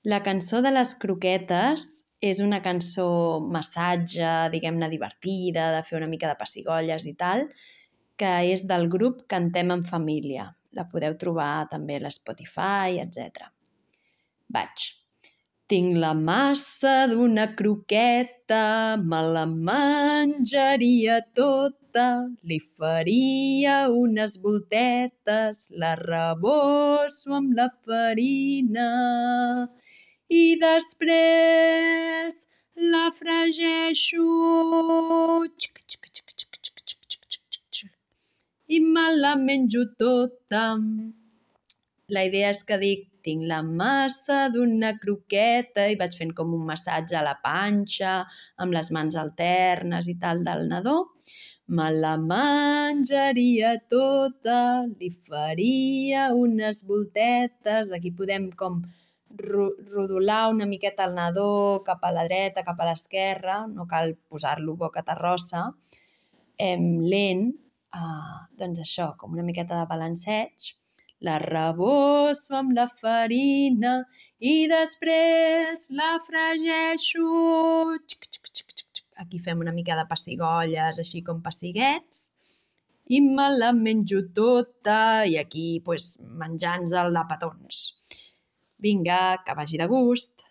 La cançó de les croquetes és una cançó massatge, diguem-ne divertida, de fer una mica de pessigolles i tal, que és del grup Cantem en Família. La podeu trobar també a l'Spotify, etc. Vaig. Tinc la massa d'una croqueta, me la menjaria tota, li faria unes voltetes, la rebosso amb la farina i després la fregeixo i me la menjo tota. La idea és que dic, tinc la massa d'una croqueta i vaig fent com un massatge a la panxa, amb les mans alternes i tal del nadó. Me la menjaria tota, li faria unes voltetes. Aquí podem com rodolar una miqueta el nadó cap a la dreta, cap a l'esquerra, no cal posar-lo boca terrossa, lent, doncs això, com una miqueta de balanceig. La rebosso amb la farina i després la fregeixo. Aquí fem una mica de pessigolles, així com pessiguets. I me la menjo tota i aquí menjant-nos-el de petons. Vinga, que vagi de gust!